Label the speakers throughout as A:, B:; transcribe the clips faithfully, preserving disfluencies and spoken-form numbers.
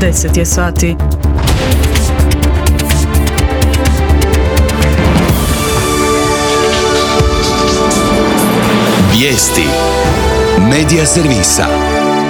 A: deset je sati.
B: Vijesti Medija servisa.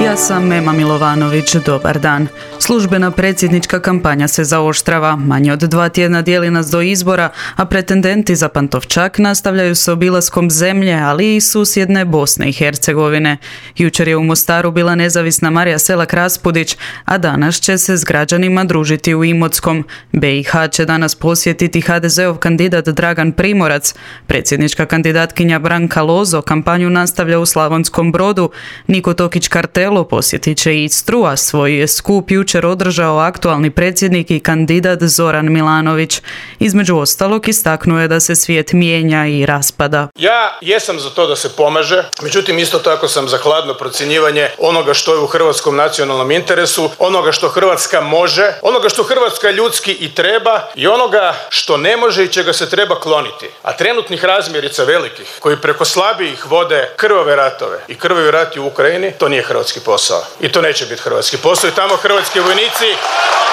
A: Ja sam Mema Milovanović, dobar dan. Službena predsjednička kampanja se zaoštrava, manje od dva tjedna dijeli nas do izbora, a pretendenti za Pantovčak nastavljaju s obilaskom zemlje, ali i susjedne Bosne i Hercegovine. Jučer je u Mostaru bila nezavisna Marija Selak Raspudić, a danas će se s građanima družiti u Imotskom. B i H će danas posjetiti ha de zeov kandidat Dragan Primorac. Predsjednička kandidatkinja Branka Lozo kampanju nastavlja u Slavonskom Brodu. Niko Tokić Kartelo posjetit će Istru, a svoj je skup jučer održao aktualni predsjednik i kandidat Zoran Milanović. Između ostalog istaknuo je da se svijet mijenja i raspada.
C: Ja jesam za to da se pomaže, međutim isto tako sam za hladno procjenjivanje onoga što je u hrvatskom nacionalnom interesu, onoga što Hrvatska može, onoga što Hrvatska ljudski i treba i onoga što ne može i čega se treba kloniti. A trenutnih razmjerica velikih, koji preko slabijih vode krvave ratove i krvavi rati u Ukrajini, to nije hrvatski posao. I to neće biti hrvatski posao i tamo hrvatski vojnici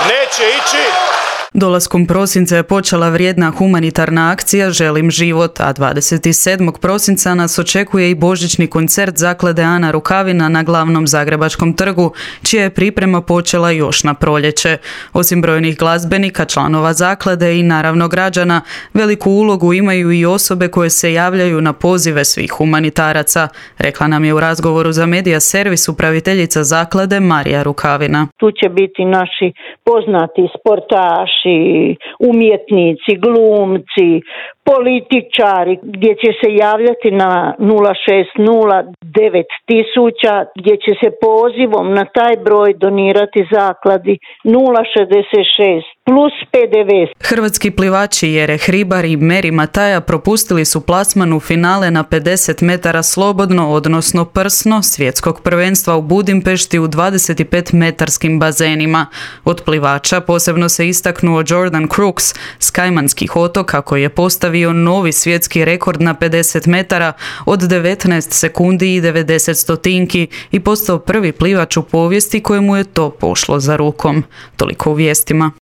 C: neće ići.
A: Dolaskom prosinca je počela vrijedna humanitarna akcija Želim život, a dvadeset sedmog prosinca nas očekuje i božićni koncert zaklade Ana Rukavina na glavnom Zagrebačkom trgu, čija je priprema počela još na proljeće. Osim brojnih glazbenika, članova zaklade i naravno građana, veliku ulogu imaju i osobe koje se javljaju na pozive svih humanitaraca, rekla nam je u razgovoru za Medija servis upraviteljica zaklade Marija Rukavina.
D: Tu će biti naši poznati sportaši, umjetnici, glumci, političari, gdje će se javljati na nula šest nula devet tisuća, gdje će se pozivom na taj broj donirati zakladi nula šezdeset šest plus pe de ve.
A: Hrvatski plivači Jere Hribar i Meri Mataja propustili su plasman u finale na pedeset metara slobodno, odnosno prsno, svjetskog prvenstva u Budimpešti u dvadeset pet metarskim bazenima. Od plivača posebno se istaknuo Jordan Crooks s Kajmanskih otoka, koji je postavio novi svjetski rekord na pedeset metara od devetnaest sekundi i devedeset stotinki i postao prvi plivač u povijesti kojemu je to pošlo za rukom. Toliko u vijestima.